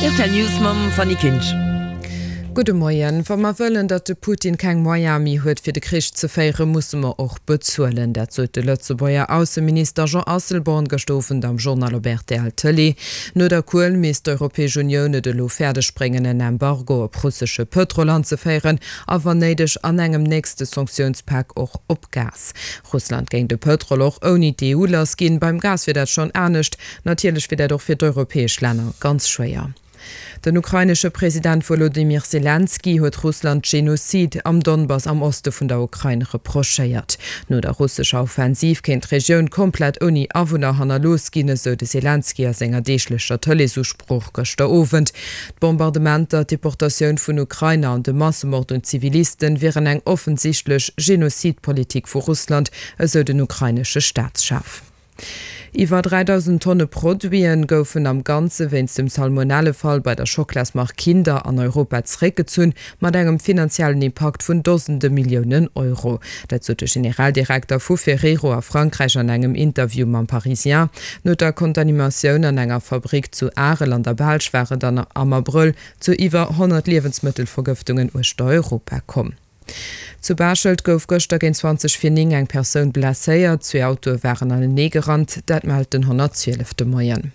Rtl News mam Fanny Kinsch. Gudde Moien. Wa mer wëllen, datt de Putin keng Moyene méi huet fir de Krich ze féieren, musse mer och bezuelen. Dat sot de Lëtzebuerger Ausseminister Jean Asselborn gëscht Owend am Journal op rtl Tëlee. No der Kuel misst d'Europäesch Unioun et elo fäerdeg bréngen, en Embargo op russesche Pëtrol anzeféieren a wann néideg an engem nächste Sanktiounspak och op Gas. Russland géing de Pëtrol och ouni d'EU lass ginn. Beim Gas wier dat schonn anescht. Natierlech wier dat och fir d'europäesch Länner ganz schwéier. Den ukrainesche President Wolodymyr Selenskyj huet Russland Genozid am Donbass am Oste vun der Ukrain reprochéiert. No der russescher Offensiv kéint d'Regioun komplett ouni Awunner hannerlooss ginn, esou de Selenskyj a senger deeglecher Tëleesusprooch gëschter Owend. D'Bombardementer, d'Deportatioun vun Ukrainer an de Massemord un Zivilisten wieren eng offensichtlech Genozidpolitik vu Russland, esou den ukrainesche Staatschef. Iwwer 3.000 Tonne Produite goufen am Ganze wéinst dem Salmonellefall bei der Schockelasmark Kinder an Europa zeréckgezunn, mat engem finanziellen Impakt vun Dosende Milliounen Euro. Dat sot de Generaldirekter vu Ferrero a Frankräich an engem Interview mam Parisien. No der Kontanimatioun an enger Fabrick zu Arel an der Belsch war et an am Abrëll zu iwwer 100 Liewensmëttelvergëftungen uechter Europa komm. Zu Baaschtelt gouf gëschter géint 20 vir 9 eng Persoun blesséiert. Zwee Autoe waren anenee gerannt, dat mellt den 112 de Moien.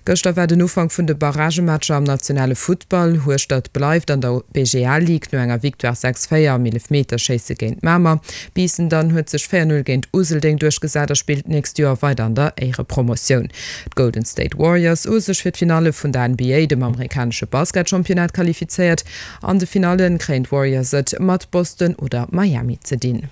Gëschter war den Ufank vun de Barragematcher am nationale Futtball. Hueschtert bleift an der BGL Ligue no enger Victoire 6, 4 am Eelefmeterschéisse géint Mamer. Biissen dann huet sech 4, 0 géint Useldeng duerchgesat a spillt d'nächst Joer weider an der Éierepromotioun. D'Golden State Warriors hu sech fir d'Finalle vun der NBA, dem amerikanesche Basketchampionnat, qualifizéiert. An de Finallen kréien d'Warriors et mat Boston oder Miami ze dinn.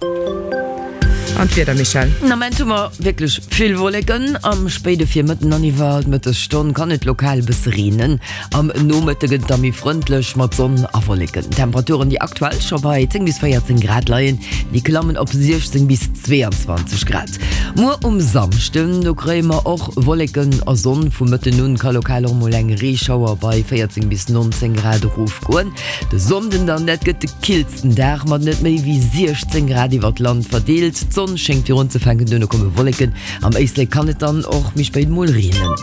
An d'Wieder, Michèle? Den Ament hu mer wierklech vill Wolleken. Am spéide Virmëtten an iwwer d'Mëttesstonn kann et lokal e bësse reenen. Am Nomëtte gëtt et da méi frëndlech mat Sonn a Wolleken. D'Temperaturen, déi aktuell scho bei 10 bis 14 Grad leien, déi klammen op 16 bis 22 Grad. Muer um Samschden, do kréie mer och Wolleken a Sonn. Vum Mëtten un ka lokal och mol eng Reeschauer bei 14 bis 19 Grad erofgoen. De Sonnden dann, dat gëtt de killsten Dag mat net méi wéi 16 Grad iwwer d'Land verdeelt. D'Sonn schéngt virunzefänken, duerno komme Wolleken. Am Éislek kann et dann och méi spéit mol reenen.